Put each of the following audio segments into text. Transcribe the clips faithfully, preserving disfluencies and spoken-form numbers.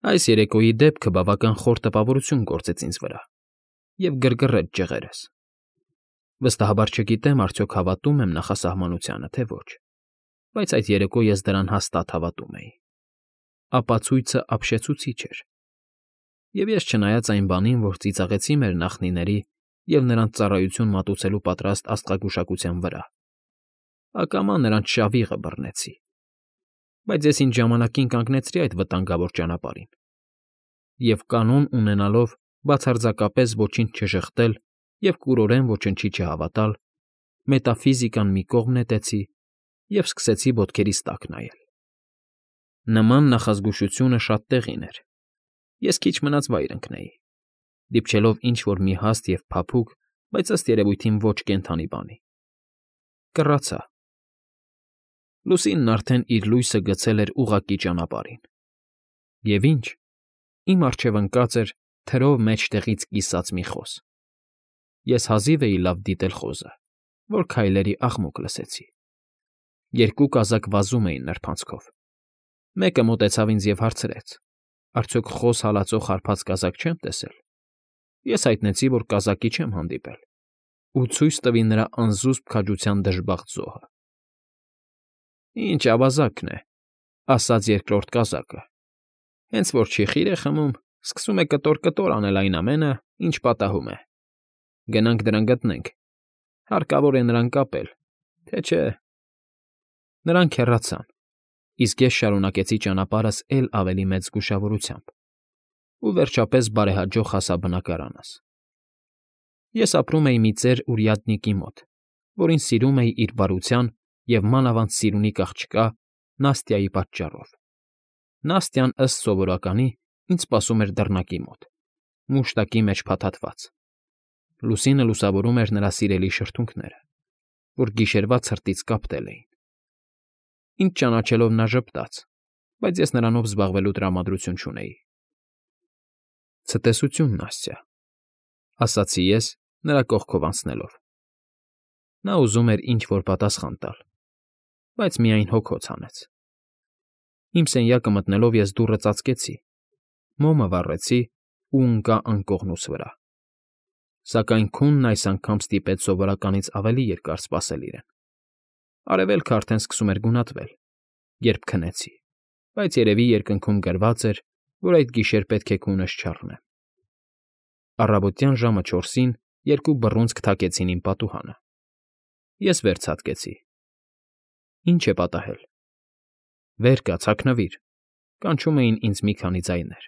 Այս երեկոյի դեպքը բավական խոր տպավորություն գործեց ինձ վրա և գրգռեց ջղերս. վստահաբար չգիտեմ արդյոք հավատում եմ նախասահմանությանը, թե ոչ, բայց այդ երեկո ես դրան հաստատ հավատում էի. ապացույցը ապշեցուցիչ էր, և ես, չնայած այն բանին, որ ծիծաղեցի մեր նախնիների և նրանց ծառայություն մատուցելու պատրաստ աստղագուշակության վրա, ակամա նրանց շավիղը բռնեցի, բայց ես ինձ ժամանակին կանգնեցրի այդ վտանգավոր ճանապարհին և, կանոն ունենալով բացարձակապես ոչինչ չժխտել և կուրորեն ոչնչի չհավատալ, մետաֆիզիկան մի կողմ նետեցի և սկսեցի ոտքերիս տակ նայել. նման նախազգուշությունը շատ տեղին էր, ես քիչ մնաց վայր ընկնեի, դիպչելով ինչ֊որ մի հաստ և փափուկ, բայց ըստ երևույթին ոչ կենդանի բանի. կռացա. լուսինն արդեն իր լույսը գցել էր ուղղակի ճանապարհին, և ինչ, իմ առջև ընկած էր թրով մեջտեղից կիսած մի խոզ. ես հազիվ էի լավ դիտել խոզը, որ քայլերի աղմուկ լսեցի. երկու կազակ վազում էին նրբանցքով, մեկը մոտեցավ ինձ և հարցրեց. արդյոք խոզ հալածող հարբած կազակ չեմ տեսել, ես հայտնեցի, որ կազակի չեմ հանդիպել ու ցույց տվի նրա անզուսպ քաջության դժբախտ զոհը։ Ինչ ավազակն է,֊ ասաց երկրորդ կազակը, հենց որ չի խիր է խմում, սկսում է կտոր֊կտոր անել այն ամենը, ինչ պատահում է. գնանք դրան գտնենք, հարկավոր է նրան կապել, թե չէ… Նրանք հեռացան, իսկ ես շարունակեցի ճանապարհս էլ ավելի մեծ զգուշավորությամբ ու, վերջապես, բարեհաջող հասա բնակարանս։ Ես ապրում էի մի ծեր уряднիկի մոտ, որին սիրում էի իր բարության և մանավանդ սիրունիկ աղջկա Նաստյայի պատճառով։ Նաստյան, ըստ սովորականի, ինձ սպասում էր դռնակի մոտ, մուշտակի մեջ փաթաթված. լուսինը լուսավորում էր նրա սիրելի շրթունքները, որ գիշերվա ցրտից կապտել էին։ Ինձ ճանաչելով նա ժպտաց, բայց ես նրանով զբաղվելու տրամադրություն չունեի։ «Ցտեսություն, Նաստյա,֊ ասացի ես, նրա կողքով անցնելով։ Նա ուզում էր ինչ֊որ պատասխան տալ, բայց միայն հոգոց հանեց։ Իմ սենյակը մտնելով ես դուռը ծածկեցի, մոմը վառեցի ու ընկա անկողնուս վրա, սակայն քունն այս անգամ ստիպեց սովորականից ավելի երկար սպասել իրեն։ Արևելքը արդեն սկսում էր գունատվել, երբ քնեցի, բայց երևի երկնքում գրված էր, որ այդ գիշեր պետք է քունս չառնեմ։ Առավոտյան ժամը չորսին երկու բռունցք թակեցին իմ պատուհանը։ Ես վեր ցատկեցի։ Ինչ է պատահել։ Վեր կաց, հագնվիր, կանչում էին ինձ մի քանի ձայներ։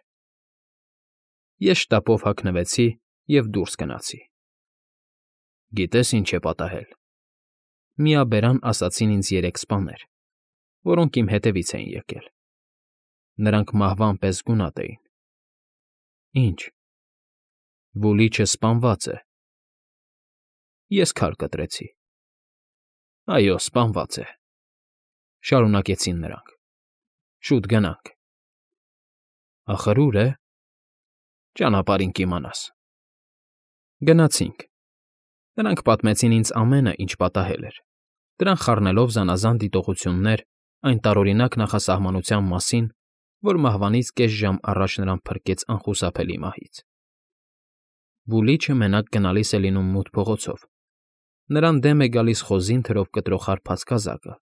Ես շտապով հագնվեցի և դուրս գնացի։ Գիտե՞ս ինչ է պատահել։ Միաբերան ասացին ինձ երեք սպաներ, որոնք իմ հետևից էին եկել։ Նրանք մահվան պես գունատ էին։ Ինչ։ Վուլիչը սպանված է։ Ես քար կտրեցի։ Այո, սպանված է,֊ շարունակեցին նրանք։ Շուտ գնանք։ Ախր ուր է։ Ճանապարհին կիմանաս։ Գնացինք։ Նրանք պատմեցին ինձ ամենը, ինչ պատահել էր, դրան խառնելով զանազան դիտողություններ այն տարօրինակ նախասահմանության մասին, որ մահվանից կես ժամ առաջ նրան փրկեց անխուսափելի մահից։ Վուլիչը մենակ գնալիս է լինում մութ փողոցով, նրան դեմ է գալիս խոզին թրով կտրող հարբած կազակը,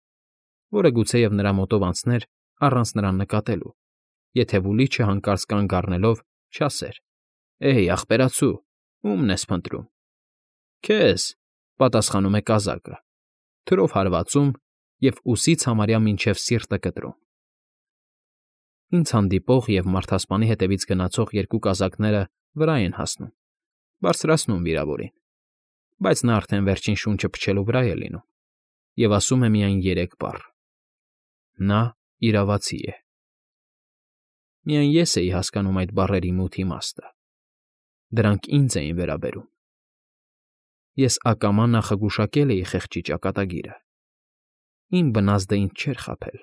որը գուցեև նրա մոտով անցներ առանց նրան նկատելու, եթե Վուլիչը հանկարծ կանգ առնելով չասեր. «Էհ, ախպերացու, ո՞ւմն ես փնտրում»։ Քեզ,֊ պատասխանում է կազակը, թրով հարվածում և ուսից համարյա մինչև սիրտը կտրում։ Ինձ հանդիպող և մարդասպանի հետևից գնացող երկու կազակները վրա են հասնում, բարձրացնում վիրավորին, բայց նա արդեն վերջին շունչը փչելու վրա է լինում և ասում է միայն երեք բառ. նա իրավացի է։ Միայն ես էի հասկանում այդ բառերի մութ իմաստը։ Դրանք ինձ էին վերաբերում։ Ես ակամա նախագուշակել էի խեղճի ճակատագիրը։ Իմ բնազդը ինձ չէր խաբել։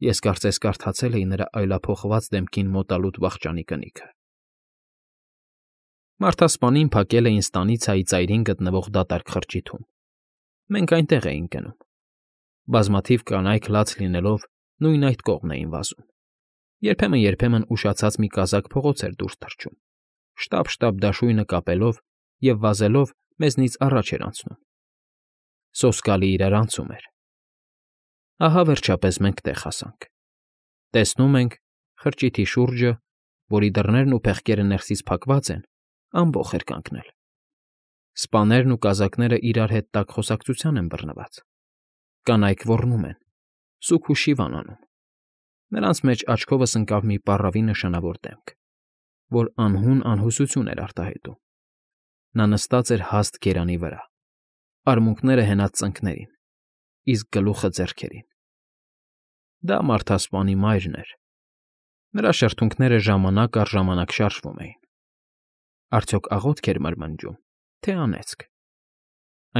Ես կարծես կարդացել էի նրա այլափոխված դեմքին մոտալուտ վախճանի կնիքը։ Մարդասպանին փակել էին ստանիցայի ծայրին գտնվող դատարկ խրճիթում։ Մենք այնտեղ էինք գնում։ Բազմաթիվ կանայք լաց լինելով նույն այդ կողմն էին վազում, Երբեմն-երբեմն ուշացած մի կազակ փողոց էր դուրս թռչում, շտապ֊շտապ դաշույնը կապելով և վազելով մեզնից առաջ էր անցնում։ Սոսկալի իրար անցում էր։ Ահա, վերջապես, մենք տեղ հասանք։ Տեսնում ենք, խրճիթի շուրջը, որի դռներն ու փեղկերը ներսից փակված են, ամբոխ էր կանգնել։ Սպաներն ու կազակները իրար հետ տաք խոսակցության են բռնված։ Կանայք ոռնում են, սուգ ու շիվան անում։ Նրանց մեջ աչքովս ընկավ մի պառավի նշանավոր դեմք, որ անհուն֊անհուսություն էր արտահայտում։ Նա նստած էր հաստ գերանի վրա, արմունկները հենած ծնկներին, իսկ գլուխը ձեռքերին։ Դա մարդասպանի մայրն էր։ Նրա շրթունքները ժամանակ առ ժամանակ շարժվում էին։ Արդյոք աղոթք էր մրմնջում, թե անեծք։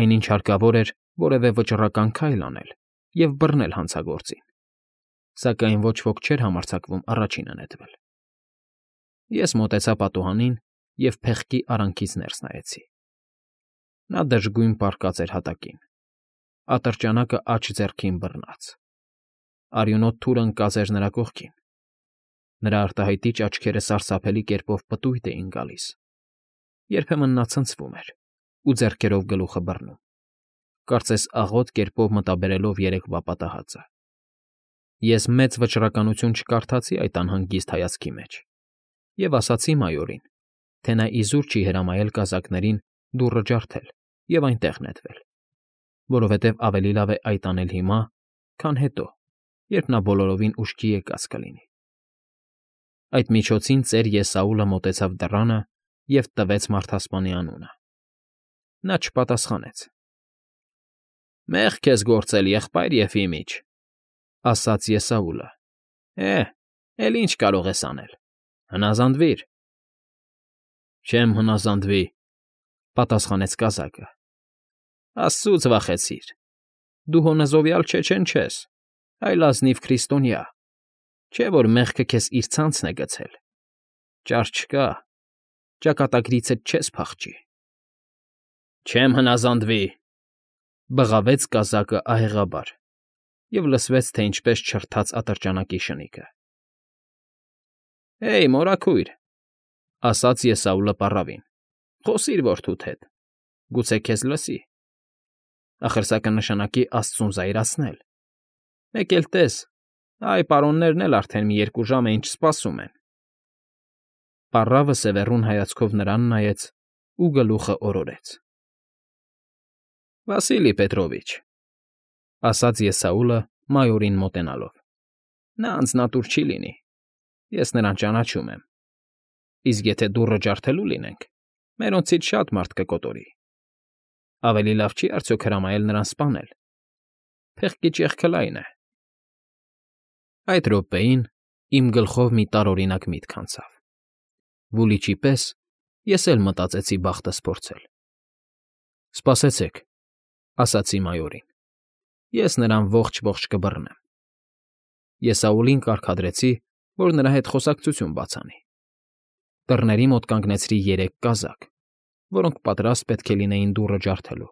Այնինչ հարկավոր էր որևէ վճռական քայլ անել և բռնել հանցագործին, սակայն ոչ ոք չէր համարձակվում առաջինը նետվել։ Ես մոտեցա պատուհանին և փեղկի արանքից ներս նայեցի։ Նա դժգույն պառկած էր հատակին, ատրճանակը աջ ձեռքին բռնած։ Արյունոտ թուրը ընկած էր նրա կողքին։ Նրա արտահայտիչ աչքերը սարսափելի կերպով պտույտ էին գալիս։ Երբեմն նա ցնցվում էր ու ձեռքերով գլուխը բռնում, կարծես աղոտ կերպով մտաբերելով երեկվա պատահածը։ Ես մեծ վճռականություն չկարդացի այդ անհանգիստ հայացքի մեջ և ասացի մայորին, թե նա իզուր չի հրամայել կազակներին դուռը ջարդել և այնտեղ նետվել, որովհետև ավելի լավ է այդ անել հիմա, քան հետո, երբ նա բոլորովին ուշքի եկած կլինի։ Այդ միջոցին ծեր Եսաուլը մոտեցավ դռանը և տվեց մարդասպանի անունը։ Նա չպատասխանեց։ ֊ Մեղք ես գործել, եղբայր Եֆիմիչ,֊ ասաց Եսաուլը։ ֊ Է, էլ ինչ կարող ես անել, հնազանդվիր։ ֊ Չեմ հնազանդվի,֊ պատասխանեց կազակը։ ֊ Աստծուց վախեցիր։ Դու հո նզովյալ չեչեն չես, այլ ազնիվ քրիստոնյա, չէ՞ որ մեղքը քեզ իր ցանցն է գցել։ Ճար չկա, ճակատագրիցդ չես փախչի։ ֊ Չեմ հնազանդվի,֊ բղավեց կազակը ահեղաբար, և լսվեց, թե ինչպես չրթաց ատրճանակի շնիկը։ ֊ Հեյ, մորաքույր,֊ ասաց Եսաուլը պառավին,֊ խոսիր որդուդ հետ, գուցե քեզ լսի։ Ախր սա կնշանակի աստծուն զայրացնել։ Մեկ էլ տես, այ պարոններն էլ արդեն մի երկու ժամ է ինչ սպասում են։ Պառավը սևեռուն հայացքով նրան նայեց ու գլուխը օրորեց։ ֊ Վասիլի Պետրովիչ,֊ ասաց Եսաուլը մայորին մոտենալով,֊ նա անձնատուր չի լինի, ես նրան ճանաչում եմ, իսկ եթե դուռը ջարդելու լինենք, մերոնցից շատ մարդ կկոտորի։ Ավելի լավ չի՞ արդյոք հրամայել նրան սպանել։ Փեղկի ճեղքը լայն է։ Այդ րոպեին իմ գլխով մի տարօրինակ միտք անցավ։ Վուլիչի պես ես էլ մտածեցի բախտս փորձել։ «Սպասեցեք,֊ ասացի մայորին,֊ ես նրան ողջ֊ողջ կբռնեմ»։ Եսաուլին կարգադրեցի, որ նրա հետ խոսակցություն բաց անի։ Դռների մոտ կանգնեցրի երեք կազակ, որոնք պատրաստ պետք է լինեին դուռը ջարդելու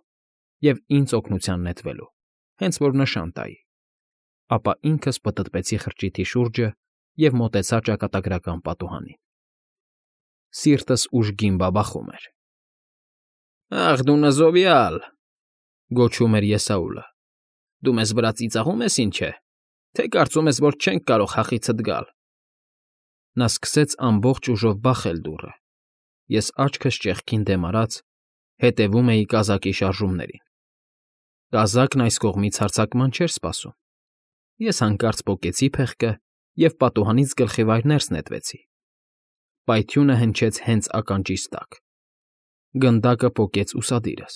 և ինձ օգնության նետվելու, հենց որ նշան տայի, ապա ինքս պտտվեցի խրճիթի շուրջը և մոտեցա ճակատագրական պատուհանին։ Սիրտս ուժգին բաբախում էր։ ֊ Ախ դու նզովյալ,֊ գոչում էր Եսաուլը,֊ դու մեզ վրա ծիծաղո՞ւմ ես, ինչ է, թե կարծում ես, որ չենք կարող հախիցդ գալ։ Նա սկսեց ամբողջ ուժով բախել դուռը։ Ես աչքս ճեղքին դեմ արած հետևում էի կազակի շարժումներին։ Կազակն այս կողմից հարձակման չէր սպասում։ Ես հանկարծ պոկեցի փեղկը և պատուհանից գլխիվայր ներս նետվեցի։ Պայթյունը հնչեց հենց ականջիս տակ։ Գնդակը պոկեց ուսադիրս,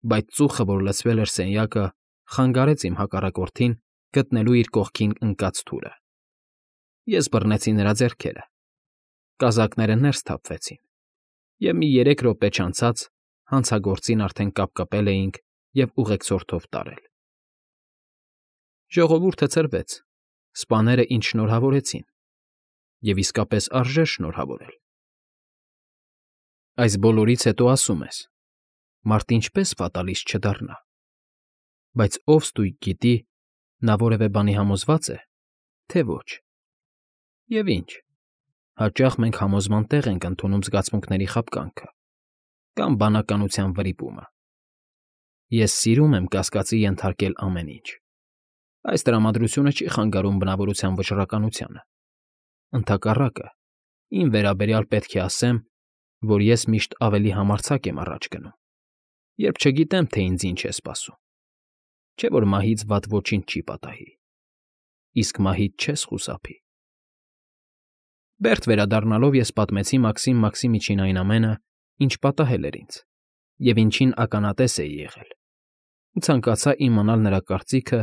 բայց ծուխը, որ լցվել էր սենյակը, խանգարեց իմ հակառակորդին գտնելու իր կողքին ընկած թուրը։ Ես բռնեցի նրա ձեռքերը։ Կազակները ներս թափվեցին, և մի երեք րոպե չանցած հանցագործին արդեն կապկպել էինք և ուղեկցորդով տարել։ Ժողովուրդը ցրվեց, սպաները ինձ շնորհավորեցին, և իսկապես արժեր շնորհավորել։ Այս բոլորից հետո ասում ես. մարդ ինչպե՞ս ֆատալիստ չդառնա։ Բայց ով ստույգ գիտի, նա որևէ բանի համոզվա՞ծ է, թե ոչ։ Եվ ինչ, հաճախ մենք համոզման տեղ ենք ընդունում զգացմունքների խաբկանքը կամ բանականության վրիպումը։ Ես սիրում եմ կասկածի ենթարկել ամեն ինչ։ Այս տրամադրությունը չի խանգարում բնավորության վճռականությանը։ Ընդհակառակը, իմ վերաբերյալ պետք է ասեմ, որ ես միշտ ավելի համարձակ եմ առաջ գնում, երբ չգիտեմ, թե ինձ ինչ է սպասում, չէ՞ որ մահից վատ ոչինչ չի պատահի, իսկ մահից չես խուսափի։ Բերտ վերադառնալով ես պատմեցի Մաքսիմ Մաքսիմիչին այն ամենը, ինչ պատահել էր ինձ, և ինչին ականատես էի եղել, ու ցանկացա իմանալ նրա կարծիքը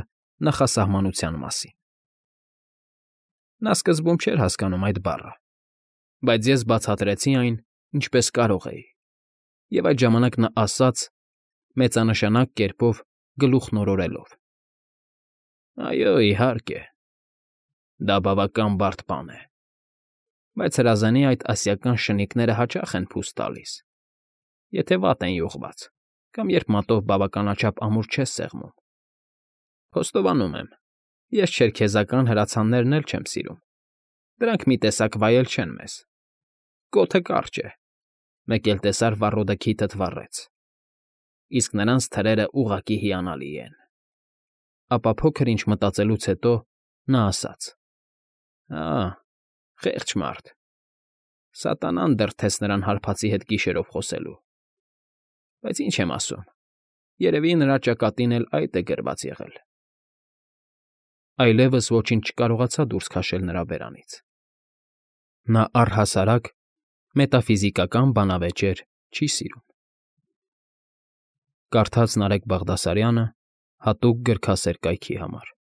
նախասահմանության մասին։ Նա սկզբում չէր հասկանում այդ բառը, բայց ես բացատրեցի այն, ինչպես կարող էի, և այդ ժամանակ նա ասաց, մեծանշանակ կերպով գլուխն օրորելով. «Այո, իհարկե, դա բավական բարդ բան է, բայց հրազանի այդ ասիական շնիկները հաճախ են փուս տալիս, եթե վատ են յուղված կամ երբ մատով բավականաչափ ամուր չես սեղմում։ Խոստովանում եմ, ես չերքեզական հրացաններն էլ չեմ սիրում, դրանք մի տեսակ վայել չեն մեզ։ Կոթը կարճ է, մեկ էլ տեսար վառոդը քիթդ վառեց, իսկ նրանց թրերը ուղղակի հիանալի են»։ Ապա փոքր ինչ մտածելուց հետո նա ասաց. «Ահ, խեղճ մարդ, սատանան դրդեց նրան հարբածի հետ գիշերով խոսելու։ Բայց ինչ եմ ասում, երևի նրա ճակատին էլ այդ է գրված եղել»։ Այլևս ոչինչ չկարողացա դուրս քաշել նրա բերանից։ Նա առհասարակ մետաֆիզիկական բանավեճեր չի սիրում։ Կարդաց Նարեկ Բաղդասարյանը հատուկ գրքասեր կայքի համար։